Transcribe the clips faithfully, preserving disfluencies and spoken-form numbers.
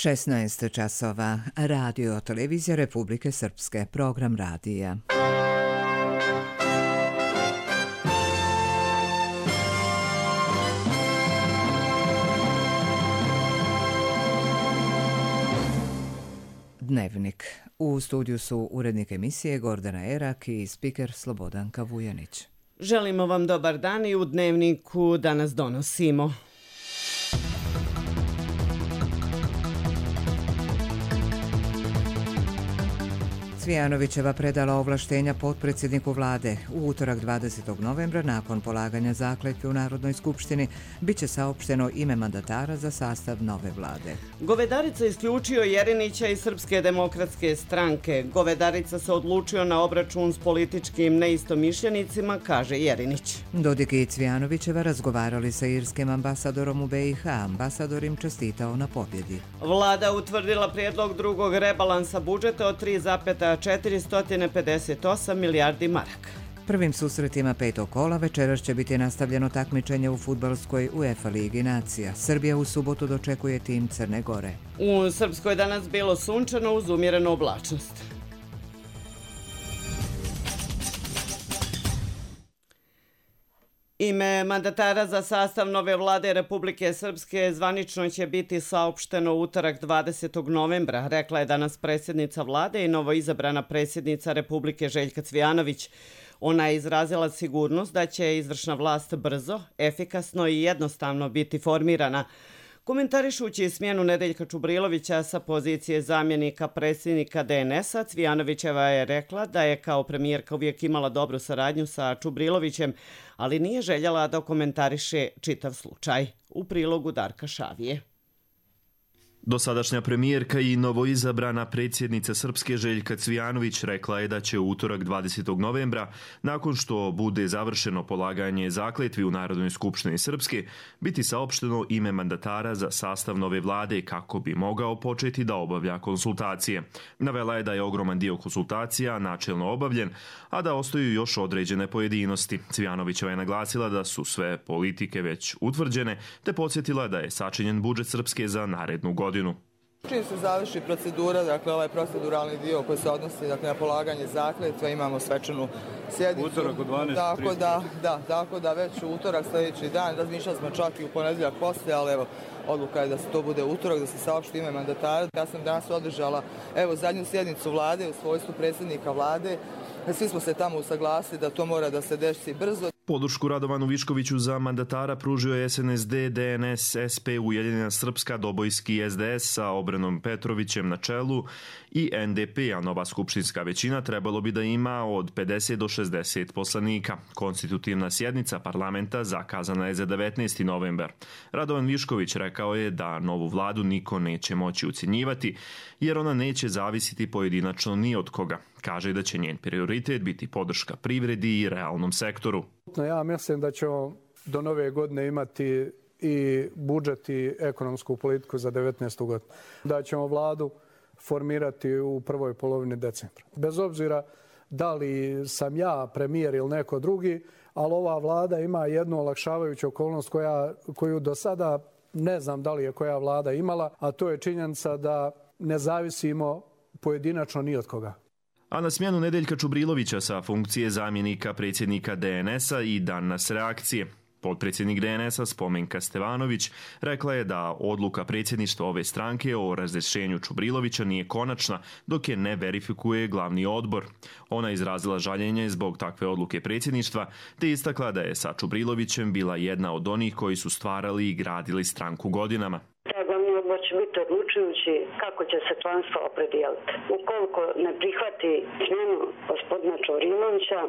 šesnaest časova. Radio Televizija Republike Srpske. Program radija. Dnevnik. U studiju su urednik emisije Gordana Erak i spiker Slobodanka Vujanić. Želimo vam dobar dan i u Dnevniku danas donosimo. Cvijanovićeva predala ovlaštenja potpredsjedniku vlade. U utorak dvadesetog novembra, nakon polaganja zakletve u Narodnoj skupštini, bit će saopšteno ime mandatara za sastav nove vlade. Govedarica isključio Jerinića iz Srpske demokratske stranke. Govedarica se odlučio na obračun s političkim neistomišljenicima, kaže Jerinić. Dodik i Cvijanovićeva razgovarali sa irskim ambasadorom u B i H. Ambasador im čestitao na pobjedi. Vlada utvrdila prijedlog drugog rebalansa budžeta od tri zarez četiristo pedeset osam milijardi maraka. Prvim susretima petog kola večeras će biti nastavljeno takmičenje u fudbalskoj UEFA ligi nacija. Srbija u subotu dočekuje tim Crne Gore. U Srpskoj danas bilo sunčano uz umjerenu oblačnost. Ime mandatara za sastav nove vlade Republike Srpske zvanično će biti saopšteno u utorak dvadesetog novembra, rekla je danas predsjednica vlade i novoizabrana predsjednica Republike Željka Cvijanović. Ona je izrazila sigurnost da će izvršna vlast brzo, efikasno i jednostavno biti formirana. Komentarišući smjenu Nedeljka Čubrilovića sa pozicije zamjenika predsjednika D N S-a, Cvijanovićeva je rekla da je kao premijerka uvijek imala dobru saradnju sa Čubrilovićem, ali nije željela da komentariše čitav slučaj. U prilogu Darka Šavije. Dosadašnja premijerka i novoizabrana predsjednica Srpske Željka Cvijanović rekla je da će u utorak dvadesetog novembra, nakon što bude završeno polaganje zakletvi u Narodnoj skupštini Srpske, biti saopšteno ime mandatara za sastav nove vlade kako bi mogao početi da obavlja konsultacije. Navela je da je ogroman dio konsultacija načelno obavljen, a da ostaju još određene pojedinosti. Cvijanovićeva je naglasila da su sve politike već utvrđene, te podsjetila da je sačinjen budžet Srpske za narednu godinu. Čim se završi procedura, dakle ovaj proceduralni dio koji se odnosi dakle, na polaganje zakletve, imamo svečanu sjednicu. Utorak u dvanaest trinaest. Tako da, da, tako da već u utorak sljedeći dan, razmišljali smo čak i u ponedjeljak poslije, ali evo, odluka je da se to bude utorak, da se saopšti ime mandatara. Ja sam danas održala evo zadnju sjednicu vlade u svojstvu predsjednika vlade. Svi smo se tamo usaglasili da to mora da se desi brzo. Podršku Radovanu Viškoviću za mandatara pružio je S N S D, D N S, S P, Ujedinjena Srpska, Dobojski S D S sa Obranom Petrovićem na čelu i N D P, a nova skupštinska većina trebalo bi da ima od pedeset do šezdeset poslanika. Konstitutivna sjednica parlamenta zakazana je za devetnaesti novembar. Radovan Višković rekao je da novu vladu niko neće moći ucjenjivati, jer ona neće zavisiti pojedinačno ni od koga. Kaže da će njen prioritet biti podrška privredi i realnom sektoru. Ja mislim da ćemo do nove godine imati i budžet i ekonomsku politiku za devetnaestu godinu. Da ćemo vladu formirati u prvoj polovini decembra. Bez obzira da li sam ja premijer ili neko drugi, ali ova vlada ima jednu olakšavajuću okolnost koja, koju do sada ne znam da li je koja vlada imala, a to je činjenica da ne zavisimo pojedinačno ni od koga. A na smjenu Nedeljka Čubrilovića sa funkcije zamjenika predsjednika D N S-a i danas reakcije. Potpredsjednik D N S-a Spomenka Stevanović rekla je da odluka predsjedništva ove stranke o razrješenju Čubrilovića nije konačna dok je ne verifikuje glavni odbor. Ona izrazila žaljenje zbog takve odluke predsjedništva te istakla da je sa Čubrilovićem bila jedna od onih koji su stvarali i gradili stranku godinama. Glavni odbor će biti odlučujući kako će se članstvo opredijeliti. Ukoliko ne prihvati smjenu gospodina Čubrilovića,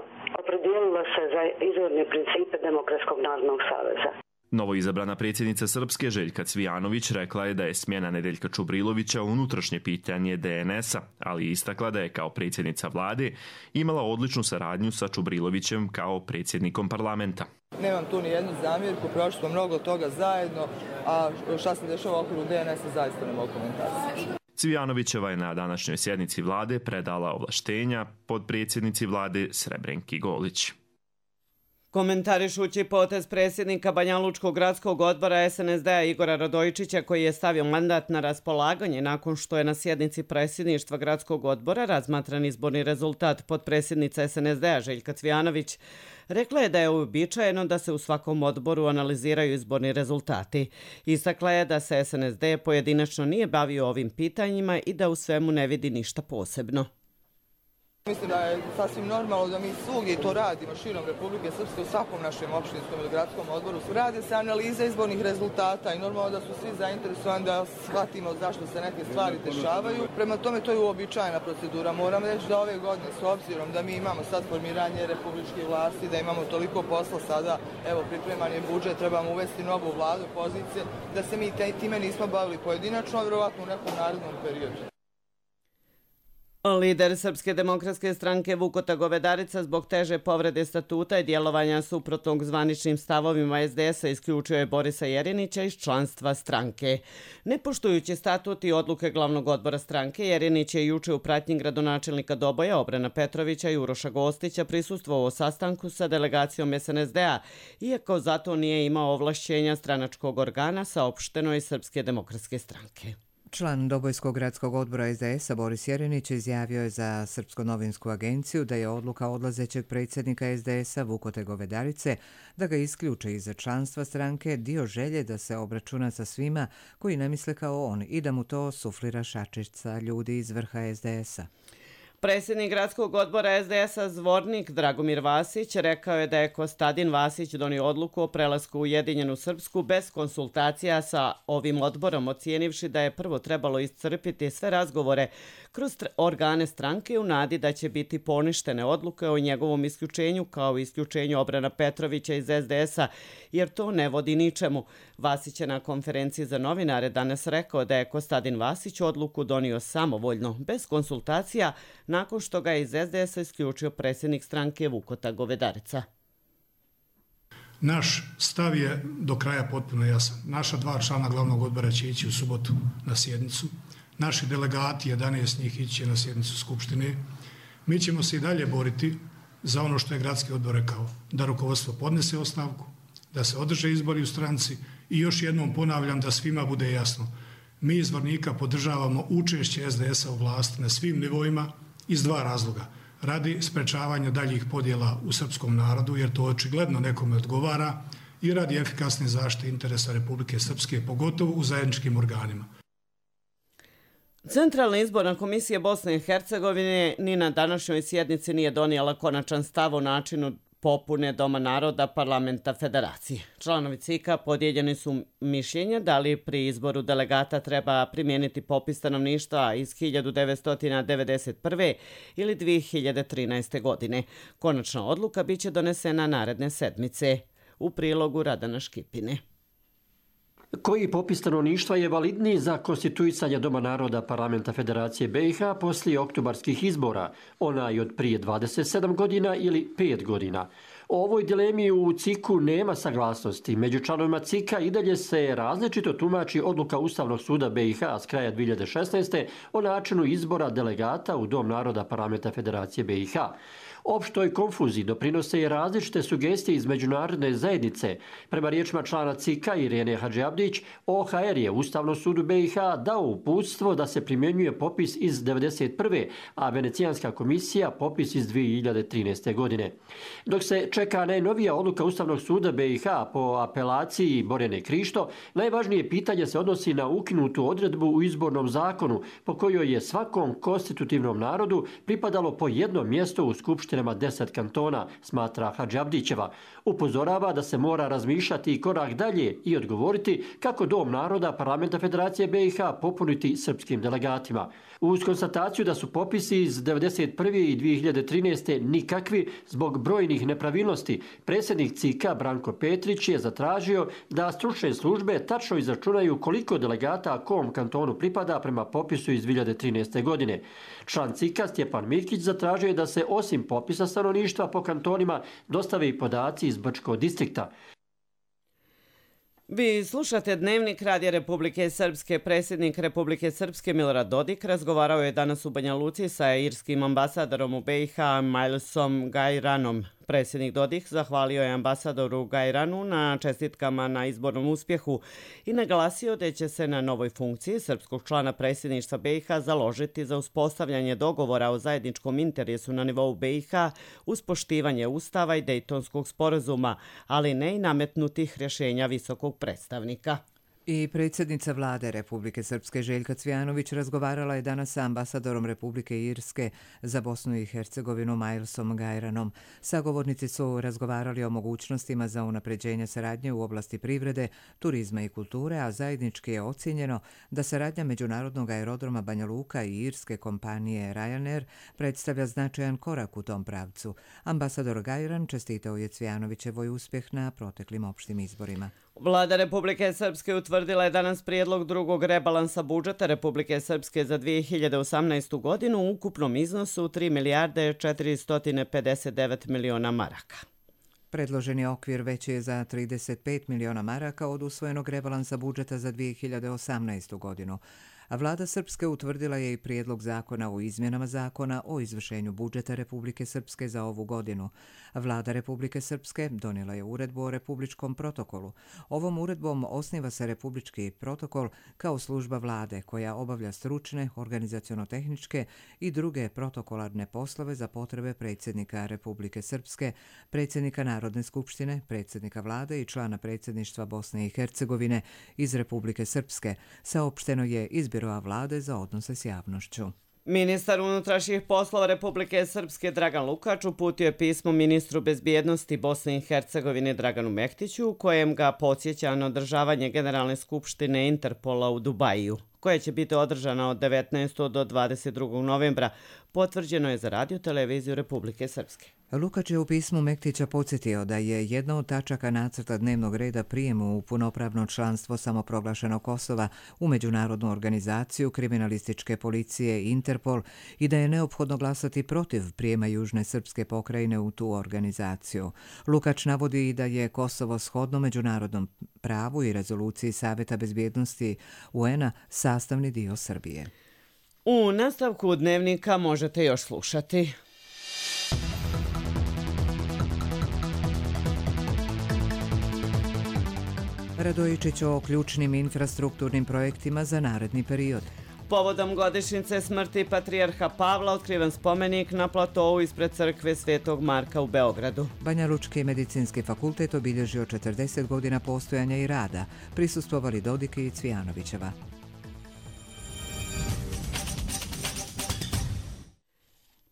opredijelila se za izvorne principe Demokratskog narodnog saveza. Novoizabrana predsjednica Srpske Željka Cvijanović rekla je da je smjena Nedeljka Čubrilovića unutrašnje pitanje D N S-a, ali istakla da je kao predsjednica vlade imala odličnu saradnju sa Čubrilovićem kao predsjednikom parlamenta. Nemam tu ni jednu zamjerku, prošli smo mnogo toga zajedno, a šta se dešava u okviru D N S-a zaista ne mogu komentariti. Cvijanovićeva je na današnjoj sjednici vlade predala ovlaštenja podpredsjednici vlade Srebrenki Golić. Komentarišući potez predsjednika Banjalučkog gradskog odbora es en es de a Igora Radojičića, koji je stavio mandat na raspolaganje nakon što je na sjednici predsjedništva gradskog odbora razmatran izborni rezultat, potpredsjednica es en es de a Željka Cvijanović rekla je da je uobičajeno da se u svakom odboru analiziraju izborni rezultati. Istakla je da se es en es de pojedinačno nije bavio ovim pitanjima i da u svemu ne vidi ništa posebno. Mislim da je sasvim normalno da mi svugdje to radimo širom Republike Srpske, u svakom našem opštinskom ili gradskom odboru. Rade se analize izbornih rezultata i normalno da su svi zainteresovani da shvatimo zašto se neke stvari dešavaju. Prema tome to je uobičajena procedura. Moram reći da ove godine, s obzirom da mi imamo sad formiranje republičke vlasti, da imamo toliko posla sada, evo pripreman je budžet, trebamo uvesti novu vladu, pozicije, da se mi time nismo bavili pojedinačno, vjerovatno u nekom narednom periodu. Lider Srpske demokratske stranke Vukota Govedarica zbog teže povrede statuta i djelovanja suprotnog zvaničnim stavovima es de es a isključio je Borisa Jerinića iz članstva stranke. Ne poštujući statut i odluke glavnog odbora stranke, Jerinić je juče u pratnji gradonačelnika Doboja Obrana Petrovića i Uroša Gostića prisustvovao sastanku sa delegacijom es en es de a, iako zato nije imao ovlašćenja stranačkog organa, saopšteno je Srpske demokratske stranke. Član Dobojskog gradskog odbora es de es a Boris Jerinić izjavio je za Srpsku novinsku agenciju da je odluka odlazećeg predsjednika es de es a Vukote Govedarice da ga isključe iz članstva stranke dio želje da se obračuna sa svima koji ne misle kao on i da mu to suflira šačica ljudi iz vrha es de es a. Predsjednik gradskog odbora es de es a Zvornik Dragomir Vasić rekao je da je Kostadin Vasić donio odluku o prelasku u Ujedinjenu Srpsku bez konsultacija sa ovim odborom, ocijenivši da je prvo trebalo iscrpiti sve razgovore kroz organe stranke u nadi da će biti poništene odluke o njegovom isključenju kao i isključenju Obrana Petrovića iz es de es a, jer to ne vodi ničemu. Vasić je na konferenciji za novinare danas rekao da je Kostadin Vasić odluku donio samovoljno, bez konsultacija, nakon što ga je iz es de es a isključio predsjednik stranke Vukota Govedarica. Naš stav je do kraja potpuno jasan. Naša dva člana glavnog odbora će ići u subotu na sjednicu. Naši delegati, jedanaest njih, ići će na sjednicu Skupštine. Mi ćemo se i dalje boriti za ono što je gradski odbor rekao, da rukovodstvo podnese ostavku, da se održe izbori u stranci i još jednom ponavljam da svima bude jasno. Mi iz Zvornika podržavamo učešće es de es a u vlasti na svim nivoima iz dva razloga. Radi sprečavanja daljih podjela u srpskom narodu, jer to očigledno nekome odgovara, i radi efikasne zaštite interesa Republike Srpske, pogotovo u zajedničkim organima. Centralna izborna komisija Bosne i Hercegovine ni na današnjoj sjednici nije donijela konačan stav o načinu popune Doma naroda Parlamenta Federacije. Članovi C I K-a podijeljeni su mišljenja da li pri izboru delegata treba primijeniti popis stanovništva iz hiljadu devetsto devedeset prve. ili dvije hiljade trinaeste. godine. Konačna odluka biće donesena naredne sedmice. U prilogu Radana Škipine. Koji popis stanovništva je validniji za konstituisanje Doma naroda Parlamenta Federacije be i ha poslije oktobarskih izbora, onaj od prije dvadeset sedam godina ili pet godina? O ovoj dilemi u C I K-u nema saglasnosti. Među članovima C I K-a i dalje se različito tumači odluka Ustavnog suda be i ha s kraja dvije hiljade šesnaeste. o načinu izbora delegata u Dom naroda Parlamenta Federacije be i ha. Opštoj konfuziji doprinose i različite sugestije iz međunarodne zajednice. Prema riječima člana C I K-a Irene Hadžiabdić, o ha er je Ustavnom sudu be i ha dao uputstvo da se primjenjuje popis iz devedeset prve. a Venecijanska komisija popis iz dvije hiljade trinaeste. godine. Dok se čeka najnovija odluka Ustavnog suda be i ha po apelaciji Borjane Krišto, najvažnije pitanje se odnosi na ukinutu odredbu u izbornom zakonu po kojoj je svakom konstitutivnom narodu pripadalo po jedno mjesto u skupštinama deset kantona, smatra Hadžiabdićeva. Upozorava da se mora razmišljati i korak dalje i odgovoriti kako Dom naroda Parlamenta Federacije be i ha popuniti srpskim delegatima. Uz konstataciju da su popisi iz devedeset prve. i dvije hiljade trinaeste. nikakvi zbog brojnih nepravilnosti, predsjednik C I K-a Branko Petrić je zatražio da stručne službe tačno izračunaju koliko delegata kom kantonu pripada prema popisu iz dvije hiljade trinaeste. godine. Član C I K-a Stjepan Mikić zatražio je da se osim popisa stanovništva po kantonima dostave i podaci iz Brčkog distrikta. Vi slušate Dnevnik Radija Republike Srpske. Predsjednik Republike Srpske Milorad Dodik razgovarao je danas u Banja Luci sa irskim ambasadorom u be i ha Milesom Gajranom. Predsjednik Dodik zahvalio je ambasadoru Gajranu na čestitkama na izbornom uspjehu i naglasio da će se na novoj funkciji srpskog člana predsjedništva B i H založiti za uspostavljanje dogovora o zajedničkom interesu na nivou B i H uz poštivanje Ustava i Dejtonskog sporazuma, ali ne i nametnutih rješenja visokog predstavnika. I predsjednica vlade Republike Srpske Željka Cvijanović razgovarala je danas sa ambasadorom Republike Irske za Bosnu i Hercegovinu Milesom Gajranom. Sagovornici su razgovarali o mogućnostima za unapređenje saradnje u oblasti privrede, turizma i kulture, a zajednički je ocjenjeno da saradnja međunarodnog aerodroma Banja Luka i irske kompanije Ryanair predstavlja značajan korak u tom pravcu. Ambasador Gajran čestitao je Cvijanovićevoj uspjeh na proteklim opštim izborima. Vlada Republike Srpske utvrdila je danas prijedlog drugog rebalansa budžeta Republike Srpske za dvije hiljade osamnaestu. godinu u ukupnom iznosu tri milijarde četiristo pedeset devet miliona maraka. Predloženi okvir veći je za trideset pet miliona maraka od usvojenog rebalansa budžeta za dvije hiljade osamnaestu. godinu. A vlada Srpske utvrdila je i prijedlog zakona o izmjenama zakona o izvršenju budžeta Republike Srpske za ovu godinu. Vlada Republike Srpske donijela je uredbu o republičkom protokolu. Ovom uredbom osniva se republički protokol kao služba vlade koja obavlja stručne, organizaciono-tehničke i druge protokolarne poslove za potrebe predsjednika Republike Srpske, predsjednika Narodne skupštine, predsjednika vlade i člana predsjedništva Bosne i Hercegovine iz Republike Srpske, saopšteno je iz Biroa vlade za odnose s javnošću. Ministar unutrašnjih poslova Republike Srpske Dragan Lukač uputio je pismo ministru bezbjednosti Bosne i Hercegovine Draganu Mehtiću u kojem ga podsjeća na održavanje Generalne skupštine Interpola u Dubaju, koja će biti održana od devetnaestog do dvadeset drugog novembra, potvrđeno je za Radio televiziju Republike Srpske. Lukač je u pismu Mektića podsjetio da je jedna od tačaka nacrta dnevnog reda prijemu u punopravno članstvo samoproglašenog Kosova u međunarodnu organizaciju kriminalističke policije Interpol i da je neophodno glasati protiv prijema Južne srpske pokrajine u tu organizaciju. Lukač navodi i da je Kosovo shodno međunarodnom pravu i rezoluciji Saveta bezbjednosti U N-a sastavni dio Srbije. U nastavku dnevnika možete još slušati. Radojičić o ključnim infrastrukturnim projektima za naredni period. Povodom godišnjice smrti patrijarha Pavla otkriven spomenik na platovu ispred crkve Svetog Marka u Beogradu. Banja Lučki medicinski fakultet obilježio četrdeset godina postojanja i rada. Prisustvovali Dodik i Cvijanovićeva.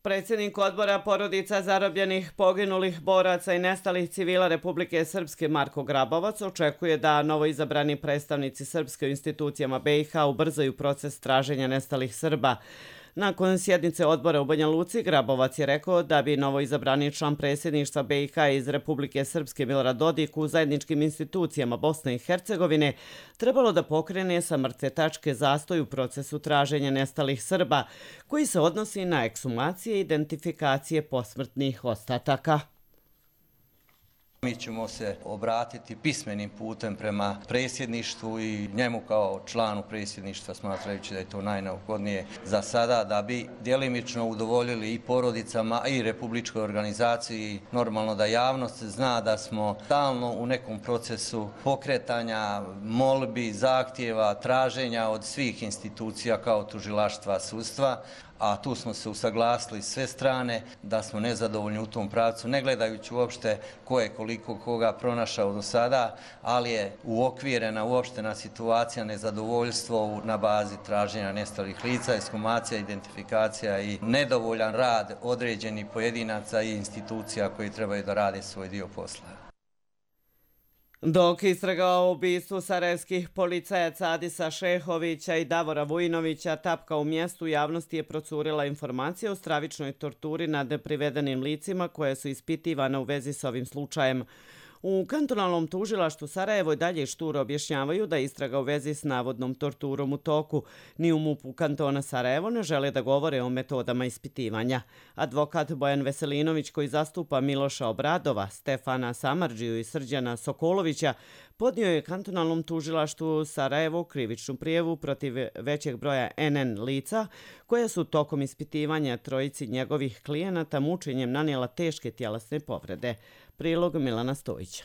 Predsjednik odbora porodica zarobljenih, poginulih boraca i nestalih civila Republike Srpske Marko Grabovac očekuje da novoizabrani predstavnici Srpske u institucijama B i H ubrzaju proces traženja nestalih Srba. Nakon sjednice odbora u Banja Luci, Grabovac je rekao da bi novoizabrani član predsjedništva B i H iz Republike Srpske Milorad Dodik u zajedničkim institucijama Bosne i Hercegovine trebalo da pokrene sa mrtve tačke zastoj u procesu traženja nestalih Srba, koji se odnosi na ekshumacije i identifikacije posmrtnih ostataka. Mi ćemo se obratiti pismenim putem prema predsjedništvu i njemu kao članu predsjedništva, smatrajući da je to najneophodnije za sada, da bi djelimično udovoljili i porodicama i republičkoj organizaciji. Normalno da javnost zna da smo stalno u nekom procesu pokretanja, molbi, zahtjeva, traženja od svih institucija kao tužilaštva, sudstva, a tu smo se usaglasili sve strane da smo nezadovoljni u tom pravcu, ne gledajući uopšte ko je koliko koga pronašao do sada, ali je uokvirena uopštena situacija, nezadovoljstvo na bazi traženja nestalih lica, ekshumacija, identifikacija i nedovoljan rad određenih pojedinaca i institucija koji trebaju da rade svoj dio posla. Dok istraga o ubistvu sarajevskih policajaca Adisa Šehovića i Davora Vujinovića tapka u mjestu, javnosti je procurila informacija o stravičnoj torturi nad neprivedenim licima koje su ispitivane u vezi s ovim slučajem. U kantonalnom tužilaštvu Sarajevo i dalje šturo objašnjavaju da istraga u vezi s navodnom torturom u toku. Ni u MUP-u kantona Sarajevo ne žele da govore o metodama ispitivanja. Advokat Bojan Veselinović, koji zastupa Miloša Obradova, Stefana Samardžiju i Srđana Sokolovića, podnio je kantonalnom tužilaštvu Sarajevo krivičnu prijavu protiv većeg broja en en lica koja su tokom ispitivanja trojici njegovih klijenata mučenjem nanijela teške tjelesne povrede. Prilog Milana Stojića.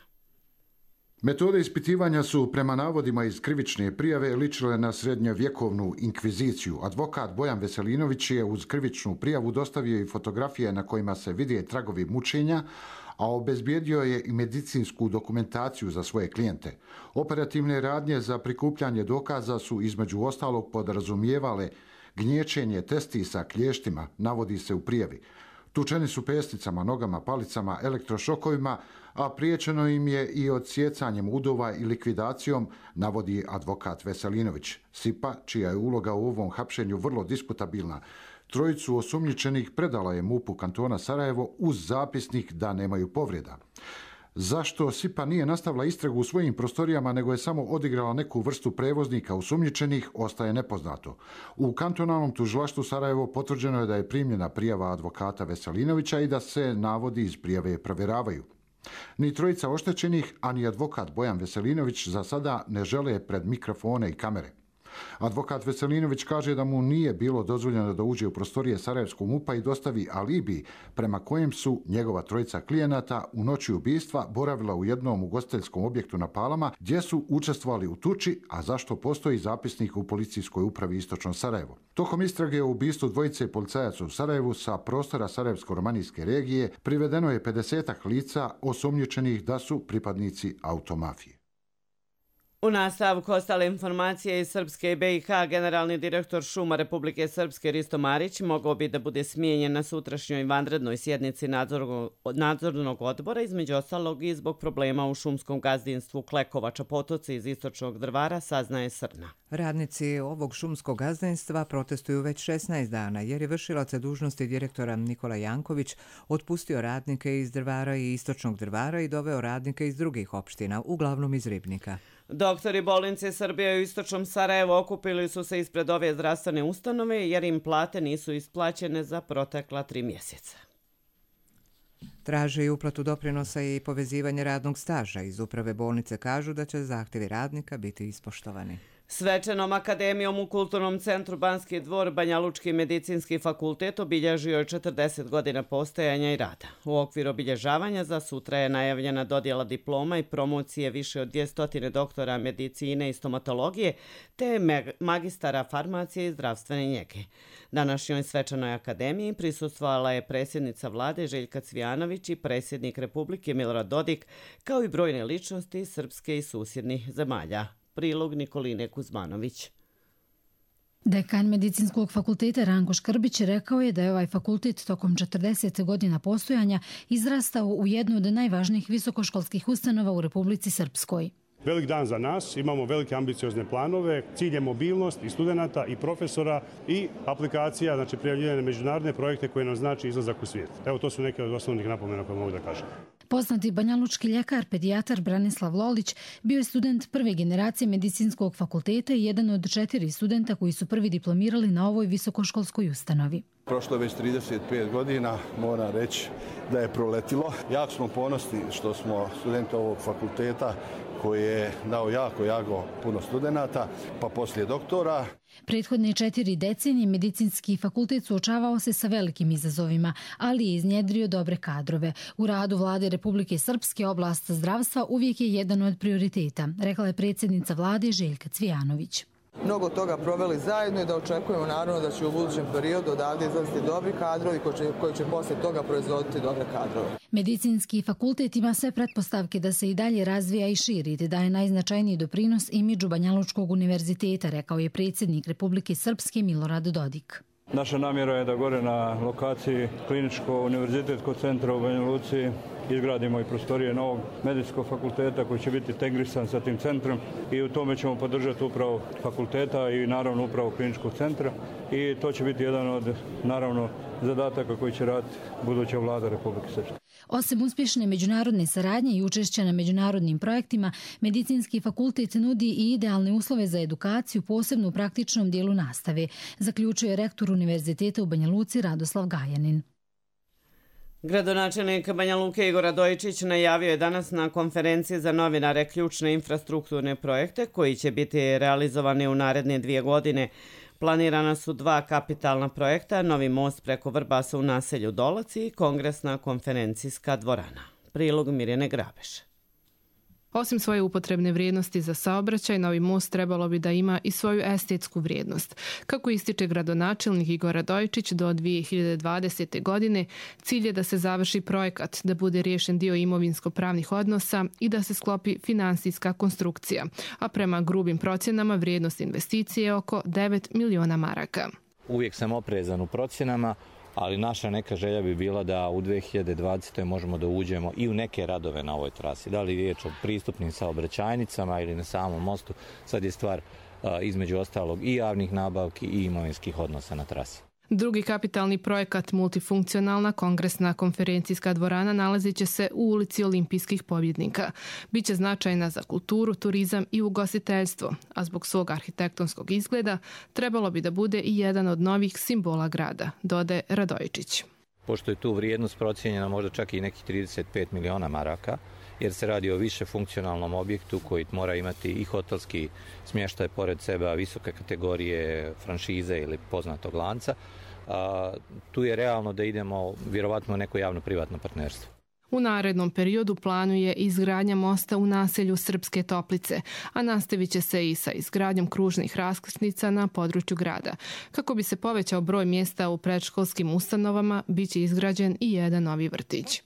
Metode ispitivanja su, prema navodima iz krivične prijave, ličile na srednjovjekovnu inkviziciju. Advokat Bojan Veselinović je uz krivičnu prijavu dostavio i fotografije na kojima se vide tragovi mučenja, a obezbijedio je i medicinsku dokumentaciju za svoje klijente. Operativne radnje za prikupljanje dokaza su između ostalog podrazumijevale gnječenje testisa klještima, navodi se u prijavi. Tučeni su pesticama, nogama, palicama, elektrošokovima, a priječeno im je i odsjecanjem udova i likvidacijom, navodi advokat Veselinović. Sipa, čija je uloga u ovom hapšenju vrlo diskutabilna, trojicu osumnjičenih predala je MUP-u kantona Sarajevo uz zapisnik da nemaju povreda. Zašto Sipa nije nastavila istragu u svojim prostorijama, nego je samo odigrala neku vrstu prevoznika osumnjičenih, ostaje nepoznato. U kantonalnom tužilaštvu Sarajevo potvrđeno je da je primljena prijava advokata Veselinovića i da se navodi iz prijave provjeravaju. Ni trojica oštećenih, a ni advokat Bojan Veselinović za sada ne žele pred mikrofone i kamere. Advokat Veselinović kaže da mu nije bilo dozvoljeno da uđe u prostorije Sarajevskog MUP-a i dostavi alibi prema kojem su njegova trojica klijenata u noći ubistva boravila u jednom ugostiteljskom objektu na Palama gdje su učestvovali u tuči, a zašto postoji zapisnik u policijskoj upravi Istočno Sarajevo. Tokom istrage o ubistvu dvojice policajaca u Sarajevu sa prostora Sarajevsko-romanijske regije privedeno je pedesetak lica osumnjičenih da su pripadnici automafije. U nastavku ostale informacije iz Srpske i be i ha, generalni direktor šuma Republike Srpske Risto Marić mogao bi da bude smijenjen na sutrašnjoj vanrednoj sjednici nadzornog odbora, između ostalog i zbog problema u šumskom gazdinstvu Klekovača Potoci iz Istočnog Drvara, saznaje Srna. Radnici ovog šumskog gazdinstva protestuju već šesnaest dana jer je vršilac dužnosti direktora Nikola Janković otpustio radnike iz Drvara i Istočnog Drvara i doveo radnike iz drugih opština, uglavnom iz Ribnika. Doktori bolnice Srbije u Istočnom Sarajevu okupili su se ispred ove zdravstvene ustanove jer im plate nisu isplaćene za protekla tri mjeseca. Traže i uplatu doprinosa i povezivanje radnog staža. Iz uprave bolnice kažu da će zahtjevi radnika biti ispoštovani. Svečanom akademijom u Kulturnom centru Banski dvor Banja Lučki medicinski fakultet obilježio je četrdeset godina postojanja i rada. U okviru obilježavanja za sutra je najavljena dodjela diploma i promocije više od dvjesto doktora medicine i stomatologije te magistara farmacije i zdravstvene njege. Današnjoj svečanoj akademiji prisustvovala je predsjednica vlade Željka Cvijanović i predsjednik Republike Milorad Dodik, kao i brojne ličnosti iz Srpske i susjednih zemalja. Prilog Nikoline Kuzmanović. Dekan Medicinskog fakulteta Ranko Škrbić rekao je da je ovaj fakultet tokom četrdeset godina postojanja izrastao u jednu od najvažnijih visokoškolskih ustanova u Republici Srpskoj. Velik dan za nas, imamo velike ambiciozne planove, cilj je mobilnost i studenta i profesora i aplikacija, znači prijavljivanje na međunarodne projekte koje nam znači izlazak u svijet. Evo, to su neke od osnovnih napomena koje mogu da kažem. Poznati banjalučki ljekar, pedijatar Branislav Lolić bio je student prve generacije Medicinskog fakulteta i jedan od četiri studenta koji su prvi diplomirali na ovoj visokoškolskoj ustanovi. Prošlo je već trideset pet godina, moram reći da je proletilo. Jako smo ponosni što smo studenta ovog fakulteta koji je dao jako, jako puno studenata, pa poslije doktora. Prethodne četiri decenije Medicinski fakultet suočavao se sa velikim izazovima, ali je iznjedrio dobre kadrove. U radu vlade Republike Srpske oblast zdravstva uvijek je jedan od prioriteta, rekla je predsjednica vlade Željka Cvijanović. Mnogo toga proveli zajedno i da očekujemo naravno da će u budućem periodu odavde izlaziti dobri kadrovi koji će, koji će poslije toga proizvoditi dobre kadrove. Medicinski fakultet ima sve pretpostavke da se i dalje razvija i širi, te daje najznačajniji doprinos imidžu Banjalučkog univerziteta, rekao je predsjednik Republike Srpske Milorad Dodik. Naša namjera je da gore na lokaciji Kliničko-univerzitetskog centra u Banja Luci izgradimo i prostorije novog medicinskog fakulteta koji će biti integrisan sa tim centrom i u tome ćemo podržati upravo fakulteta i naravno upravo kliničkog centra i to će biti jedan od, naravno, zadataka koji će raditi buduća vlada Republike Srpske. Osim uspješne međunarodne saradnje i učešća na međunarodnim projektima, Medicinski fakultet nudi i idealne uslove za edukaciju, posebno u praktičnom dijelu nastave, zaključuje rektor Univerziteta u Banja Luci Radoslav Gajanin. Gradonačelnik Banja Luke Igor Radojičić najavio je danas na konferenciji za novinare ključne infrastrukturne projekte koji će biti realizovani u naredne dvije godine. Planirana su dva kapitalna projekta, novi most preko Vrbasa u naselju Dolaci i kongresna konferencijska dvorana. Prilog Mirjane Grabeše. Osim svoje upotrebne vrijednosti za saobraćaj, novi most trebalo bi da ima i svoju estetsku vrijednost. Kako ističe gradonačelnik Igor Radojičić, do dvije hiljade dvadesete. godine cilj je da se završi projekat, da bude riješen dio imovinsko-pravnih odnosa i da se sklopi finansijska konstrukcija, a prema grubim procjenama vrijednost investicije je oko devet miliona maraka. Uvijek sam oprezan u procjenama, ali naša neka želja bi bila da u dvije hiljade dvadesete. možemo da uđemo i u neke radove na ovoj trasi. Da li je riječ o pristupnim saobraćajnicama ili na samom mostu, sad je stvar između ostalog i javnih nabavki i imovinskih odnosa na trasi. Drugi kapitalni projekat, multifunkcionalna kongresna konferencijska dvorana, nalazit će se u ulici Olimpijskih pobjednika. Biće značajna za kulturu, turizam i ugostiteljstvo, a zbog svog arhitektonskog izgleda trebalo bi da bude i jedan od novih simbola grada, dodaje Radojičić. Pošto je tu vrijednost procijenjena možda čak i nekih trideset pet miliona maraka, jer se radi o više funkcionalnom objektu koji mora imati i hotelski smještaj pored sebe, visoke kategorije franšize ili poznatog lanca, a, tu je realno da idemo vjerovatno u neko javno-privatno partnerstvo. U narednom periodu planuje izgradnja mosta u naselju Srpske Toplice, a nastavit će se i sa izgradnjom kružnih raskrsnica na području grada. Kako bi se povećao broj mjesta u predškolskim ustanovama, bit će izgrađen i jedan novi vrtić.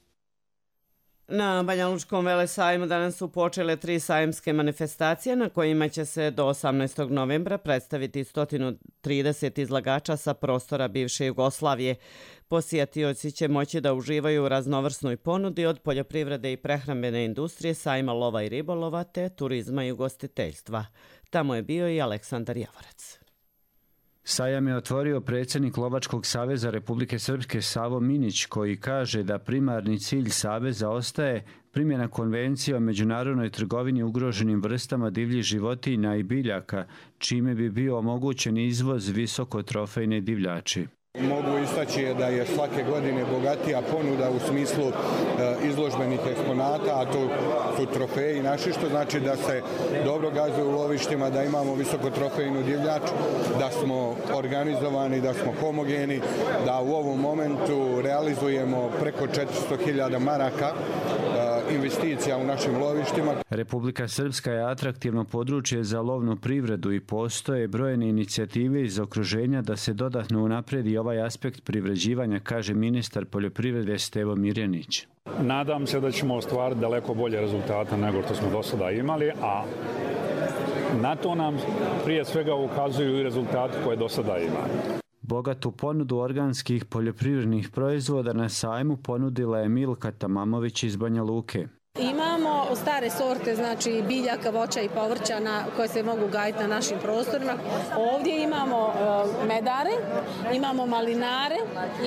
Na Banja Lučkom velesajmu danas su počele tri sajamske manifestacije na kojima će se do osamnaestog novembra predstaviti sto trideset izlagača sa prostora bivše Jugoslavije. Posjetioci će moći da uživaju u raznovrsnoj ponudi od poljoprivrede i prehrambene industrije, sajma lova i ribolova te turizma i ugostiteljstva. Tamo je bio i Aleksandar Javorac. Sajam je otvorio predsjednik Lovačkog saveza Republike Srpske Savo Minić, koji kaže da primarni cilj saveza ostaje primjena konvencije o međunarodnoj trgovini ugroženim vrstama divljih životinja i biljaka, čime bi bio omogućen izvoz visokotrofejne divljači. Mogu istaći da je svake godine bogatija ponuda u smislu izložbenih eksponata, a to su trofeji naši, što znači da se dobro gazuje u lovištima, da imamo visokotrofejnu divljač, da smo organizovani, da smo homogeni, da u ovom momentu realizujemo preko četiristo hiljada maraka investicija u našim lovištima. Republika Srpska je atraktivno područje za lovnu privredu i postoje brojne inicijative iz okruženja da se dodatno unapredi ovaj aspekt privređivanja, kaže ministar poljoprivrede Stevo Mirjanić. Nadam se da ćemo ostvariti daleko bolje rezultate nego što smo do sada imali, a na to nam prije svega ukazuju i rezultati koje do sada imamo. Bogatu ponudu organskih poljoprivrednih proizvoda na sajmu ponudila je Milka Tamamović iz Banja Luke. Imamo stare sorte, znači biljaka, voća i povrća na, koje se mogu gajiti na našim prostorima. Ovdje imamo uh, medare, imamo malinare,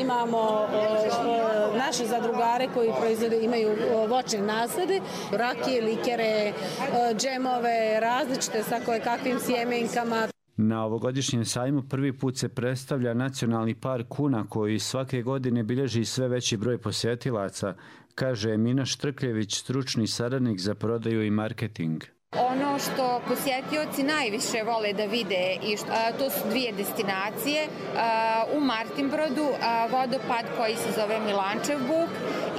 imamo uh, naše zadrugare koji proizvode, imaju uh, voćne nasade, rakije, likere, uh, džemove, različite sa koje kakvim sjemenkama. Na ovogodišnjem sajmu prvi put se predstavlja nacionalni park Una koji svake godine bilježi sve veći broj posjetilaca, kaže Emina Štrkljević, stručni saradnik za prodaju i marketing. Ono što posjetioci najviše vole da vide, i što, a, to su dvije destinacije. A, u Martinbrodu a, vodopad koji se zove Milančev buk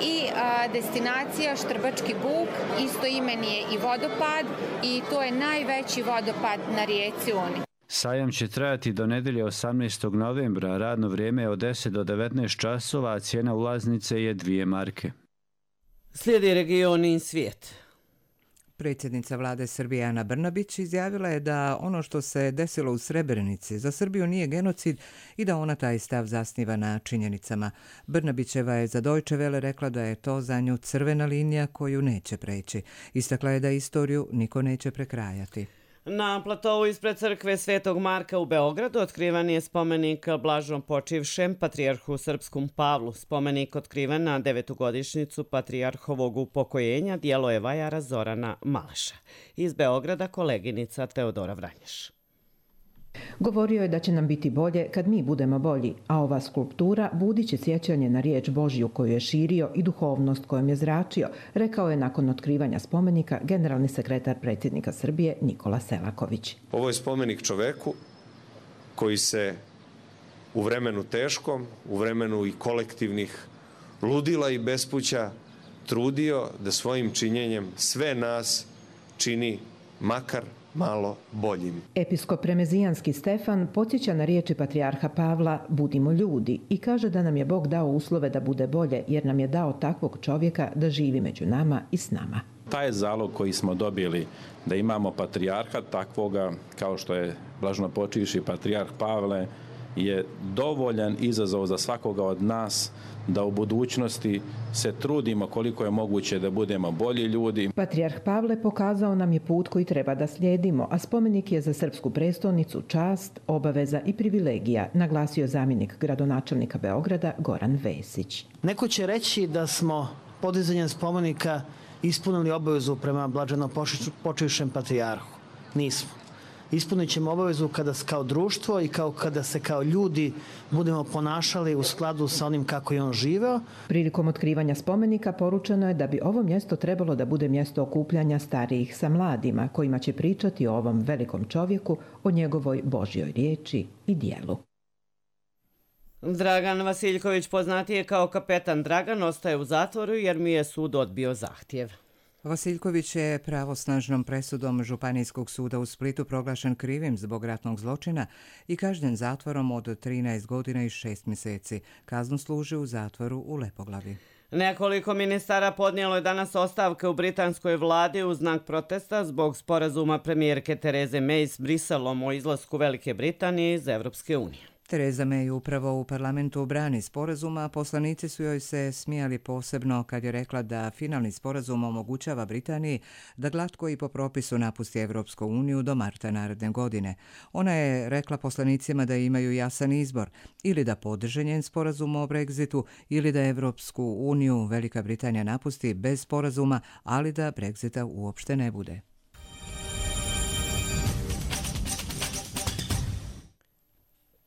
i a, destinacija Štrbački buk, isto imen je i vodopad i to je najveći vodopad na rijeci Uni. Sajam će trajati do nedelje osamnaestog novembra, radno vrijeme je od deset do devetnaest časova, a cijena ulaznice je dvije marke. Slijedi region i svijet. Predsjednica vlade Srbije Ana Brnabić izjavila je da ono što se desilo u Srebrenici za Srbiju nije genocid i da ona taj stav zasniva na činjenicama. Brnabićeva je za Deutsche Welle rekla da je to za nju crvena linija koju neće preći. Istakla je da istoriju niko neće prekrajati. Na platovu ispred crkve Svetog Marka u Beogradu otkrivan je spomenik blažno počivšem patrijarhu srpskom Pavlu. Spomenik otkriven na devetogodišnjicu patrijarhovog upokojenja djelo je vajara Zorana Malaša. Iz Beograda koleginica Teodora Vranješ. Govorio je da će nam biti bolje kad mi budemo bolji, a ova skulptura budit će sjećanje na riječ Božju koju je širio i duhovnost kojom je zračio, rekao je nakon otkrivanja spomenika generalni sekretar predsjednika Srbije Nikola Selaković. Ovo je spomenik čoveku koji se u vremenu teškom, u vremenu i kolektivnih ludila i bespuća trudio da svojim činjenjem sve nas čini makar malo boljim. Episkop Remezijanski Stefan podsjeća na riječi patrijarha Pavla budimo ljudi i kaže da nam je Bog dao uslove da bude bolje jer nam je dao takvog čovjeka da živi među nama i s nama. Taj zalog koji smo dobili da imamo patrijarha takvoga kao što je blažnopočivši patrijarh Pavle je dovoljan izazov za svakoga od nas da u budućnosti se trudimo koliko je moguće da budemo bolji ljudi. Patrijarh Pavle pokazao nam je put koji treba da slijedimo, a spomenik je za srpsku prestolnicu čast, obaveza i privilegija, naglasio zamjenik gradonačelnika Beograda Goran Vesić. Neko će reći da smo podizanjem spomenika ispunili obavezu prema blaženo počivšem patrijarhu. Nismo. Ispunit ćemo obavezu kada kao društvo i kao kada se kao ljudi budemo ponašali u skladu sa onim kako je on živeo. Prilikom otkrivanja spomenika poručeno je da bi ovo mjesto trebalo da bude mjesto okupljanja starijih sa mladima, kojima će pričati o ovom velikom čovjeku, o njegovoj Božjoj riječi i dijelu. Dragan Vasiljković, poznatiji kao kapetan Dragan, ostaje u zatvoru jer mi je sud odbio zahtjev. Vasiljković je pravosnažnom presudom Županijskog suda u Splitu proglašen krivim zbog ratnog zločina i kažnjen zatvorom od trinaest godina i šest mjeseci. Kaznu služi u zatvoru u Lepoglavi. Nekoliko ministara podnijelo je danas ostavke u britanskoj vladi u znak protesta zbog sporazuma premijerke Tereze May s Briselom o izlasku Velike Britanije iz Evropske unije. Tereza May upravo u parlamentu brani sporazuma, a poslanici su joj se smijali posebno kad je rekla da finalni sporazum omogućava Britaniji da glatko i po propisu napusti Evropsku uniju do marta naredne godine. Ona je rekla poslanicima da imaju jasan izbor, ili da podrže njen sporazum o Brexitu, ili da Evropsku uniju Velika Britanija napusti bez sporazuma, ali da Brexita uopšte ne bude.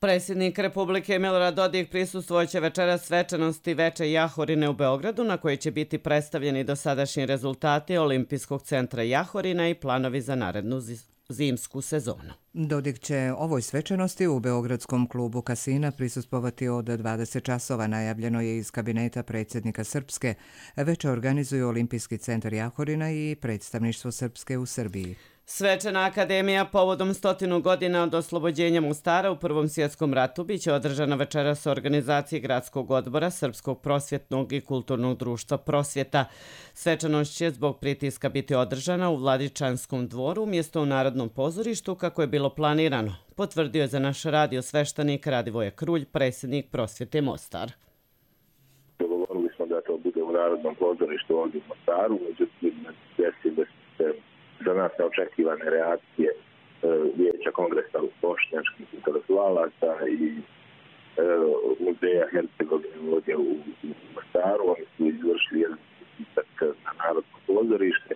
Predsjednik Republike Milorad Dodik prisustvovat će večeras svečanosti Veče Jahorine u Beogradu, na kojoj će biti predstavljeni dosadašnji rezultati Olimpijskog centra Jahorina i planovi za narednu zimsku sezonu. Dodik će ovoj svečanosti u Beogradskom klubu Kasina prisustvovati od dvadeset časova, najavljeno je iz kabineta predsjednika Srpske. Veče organizuju Olimpijski centar Jahorina i predstavništvo Srpske u Srbiji. Svečana akademija povodom stotinu godina od oslobođenja Mostara u Prvom svjetskom ratu biće održana večeras u organizaciji Gradskog odbora Srpskog prosvjetnog i kulturnog društva Prosvjeta. Svečanost će zbog pritiska biti održana u Vladičanskom dvoru umjesto u Narodnom pozorištu kako je bilo planirano, potvrdio je za naš radio sveštenik Radivoje Krulj, predsjednik Prosvjete Mostar. Dogovorili smo da to bude u Narodnom pozorištu ovdje u Mostaru, međutim desile se za nas neočekivane reakcije e, Vijeća kongresa bošnjačkih intelektualaca i e, muzeja Hercegovine ovdje u, u Mostaru. Oni su izvršili jedan pritisak na Narodno pozorište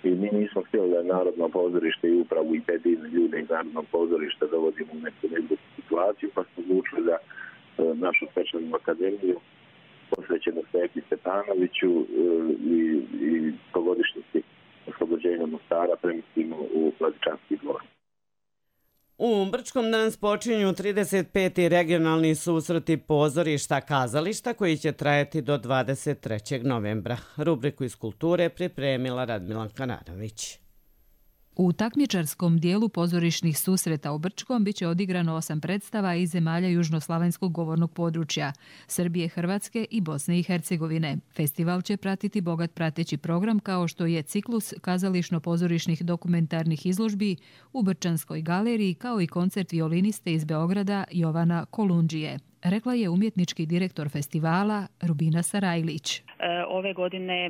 i mi nismo htjeli da Narodno pozorište i upravu i te divne ljude iz Narodnog pozorišta dovodimo u neku neku situaciju, pa smo odlučili da e, našu svečanu akademiju posvećenu Sveti Stepanoviću e, i, i pogodišnjici oslobođenja Mostara premislimo u Vladičanski dvor. U Brčkom danas počinju trideset peti regionalni susreti pozorišta kazališta koji će trajati do dvadeset trećeg novembra. Rubriku iz kulture pripremila Radmila Kananović. U takmičarskom dijelu pozorišnih susreta u Brčkom biće odigrano osam predstava iz zemalja južnoslavenskog govornog područja, Srbije, Hrvatske i Bosne i Hercegovine. Festival će pratiti bogat prateći program kao što je ciklus kazališno-pozorišnih dokumentarnih izložbi u Brčanskoj galeriji kao i koncert violiniste iz Beograda Jovana Kolundžije. rekla je umjetnički direktor festivala Rubina Sarajlić. Ove godine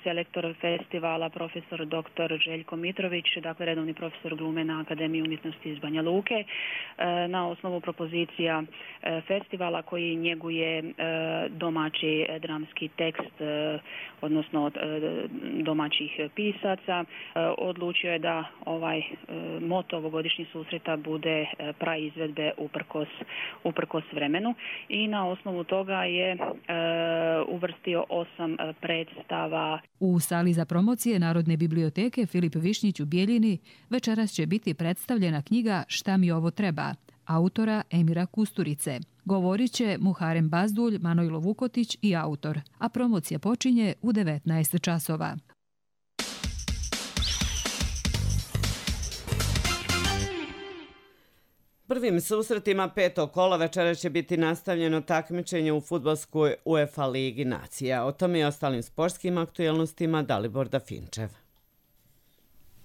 selektor festivala profesor doktor Željko Mitrović, dakle redovni profesor glume na Akademiji umjetnosti iz Banja Luke, na osnovu propozicija festivala koji njeguje domaći dramski tekst, odnosno domaćih pisaca, odlučio je da ovaj moto ovogodišnjih susreta bude praizvedbe uprkos, uprkos vremenu i na osnovu toga je uvrstio osam predstava. U sali za promocije Narodne biblioteke Filip Višnjić u Bijeljini večeras će biti predstavljena knjiga Šta mi ovo treba, autora Emira Kusturice. Govorit će Muharem Bazdulj, Manojlo Vukotić i autor, a promocija počinje u devetnaest časova. Prvim susretima petog kola večera će biti nastavljeno takmičenje u fudbalskoj UEFA Ligi nacija. O tome i ostalim sportskim aktuelnostima Dalibor Dafinčev.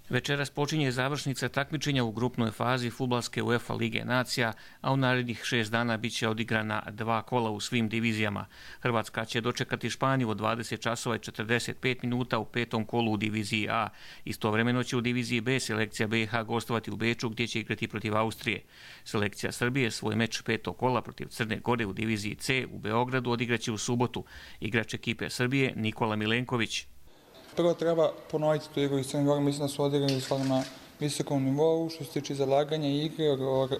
Večeras počinje završnica takmičenja u grupnoj fazi fudbalske UEFA Lige nacija, a u narednih šest dana bit će odigrana dva kola u svim divizijama. Hrvatska će dočekati Španiju od dvadeset časova i četrdeset pet minuta u petom kolu u diviziji A. Istovremeno će u diviziji B selekcija B i H gostovati u Beču gdje će igrati protiv Austrije. Selekcija Srbije svoj meč petog kola protiv Crne Gore u diviziji C u Beogradu odigraće u subotu. Igrač ekipe Srbije Nikola Milenković. Prvo treba ponoviti tu igru iz Crne Gore, mislim da su odigrali stvarno na visokom nivou, što se tiče zalaganja igre,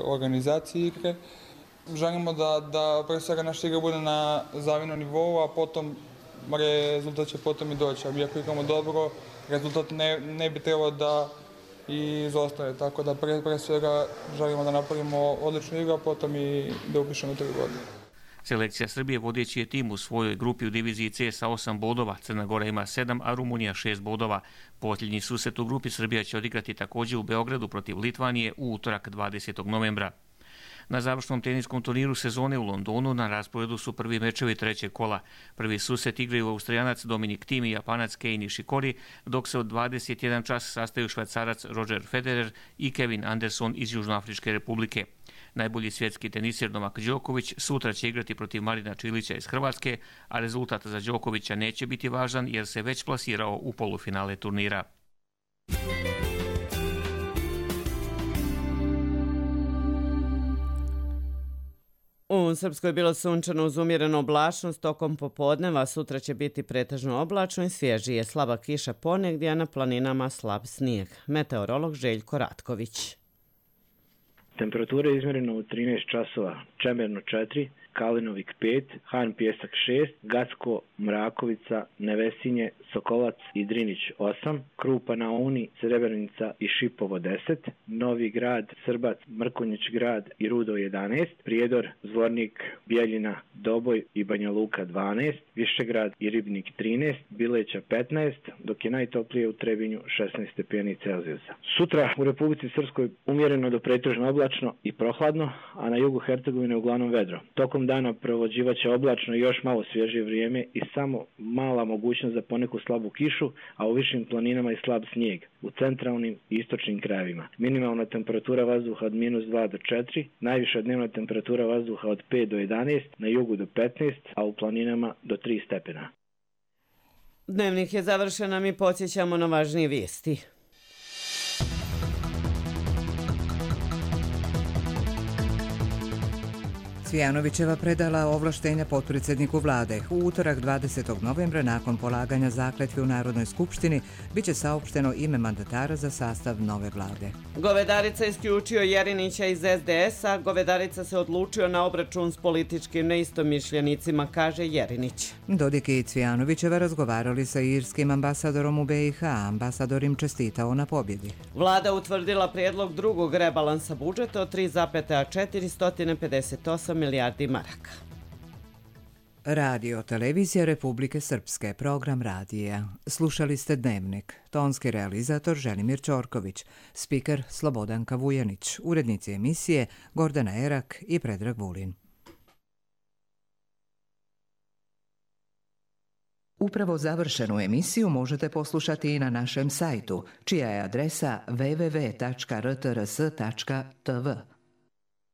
organizacije igre. Želimo da, da pre svega naša igra bude na zavidnom nivou, a potom rezultat će potom i doći. A ako igramo dobro, rezultat ne, ne bi trebao da i izostane. Tako da pre, pre svega želimo da napravimo odličnu igru, a potom i da upišemo tri godine. Selekcija Srbije vodeći je tim u svojoj grupi u diviziji C sa osam bodova, Crna Gora ima sedam, a Rumunija šest bodova. Posljednji susret u grupi Srbija će odigrati također u Beogradu protiv Litvanije u utorak dvadesetog novembra. Na završnom teniskom turniru sezone u Londonu na rasporedu su prvi mečevi trećeg kola. Prvi susret igraju Austrijanac Dominik Thiem i Japanac Kei Nishikori, dok se od dvadeset jedan čas sastaju Švajcarac Roger Federer i Kevin Anderson iz Južnoafričke republike. Najbolji svjetski teniser Novak Đoković sutra će igrati protiv Marina Čilića iz Hrvatske, a rezultat za Đokovića neće biti važan jer se već plasirao u polufinale turnira. U Srpskoj je bilo sunčano uz umjerenu oblačnost tokom popodneva, sutra će biti pretežno oblačno i svježije, slaba kiša ponegdje, a na planinama slab snijeg. Meteorolog Željko Ratković. Temperatura je izmjerena u trinaest časova, Čemerno četiri, Kalinovik pet, Han Pjesak šest, Gacko, Mrakovica, Nevesinje, Sokolac i Drinić osam, Krupa na Uni, Srebrnica i Šipovo deset, Novi Grad, Srbac, Mrkonjić grad i Rudo jedanaest, Prijedor, Zvornik, Bijeljina, Doboj i Banja Luka dvanaest, Višegrad i Ribnik trinaest, Bileća petnaest, dok je najtoplije u Trebinju šesnaest stepeni Celzijusa. Sutra u Republici Srpskoj umjereno do pretežno oblačno i prohladno, a na jugu Hercegovine uglavnom vedro. Tokom dana provođivaće oblačno i još malo svježije vrijeme i samo mala mogućnost za poneku slabu kišu, a u višim planinama i slab snijeg u centralnim i istočnim krajevima. Minimalna temperatura vazduha od minus dva do četiri, najviša dnevna temperatura vazduha od pet do jedanaest, na jugu do petnaest, a u planinama do tri stepena. Dnevnik je završen, a mi podsjećamo na važnije vijesti. Cvijanovićeva predala ovlaštenja potpredsjedniku vlade. U utorak dvadesetog novembra nakon polaganja zakletve u Narodnoj skupštini biće saopšteno ime mandatara za sastav nove vlade. Govedarica isključio Jerinića iz es de es-a. Govedarica se odlučio na obračun s političkim neistomišljenicima, kaže Jerinić. Dodik i Cvijanovićeva razgovarali sa irskim ambasadorom u be i ha. Ambasador im čestitao na pobjedi. Vlada utvrdila prijedlog drugog rebalansa budžeta od tri zarez četiri pedeset osam milijardi maraka. Radio Televizija Republike Srpske, program radija. Slušali ste Dnevnik. Tonski realizator Želimir Ćorković, spiker Slobodanka Vujanić, urednici emisije Gordana Erak i Predrag Vulin. Upravo završenu emisiju možete poslušati i na našem sajtu, čija je adresa w w w tačka r t r s tačka t v.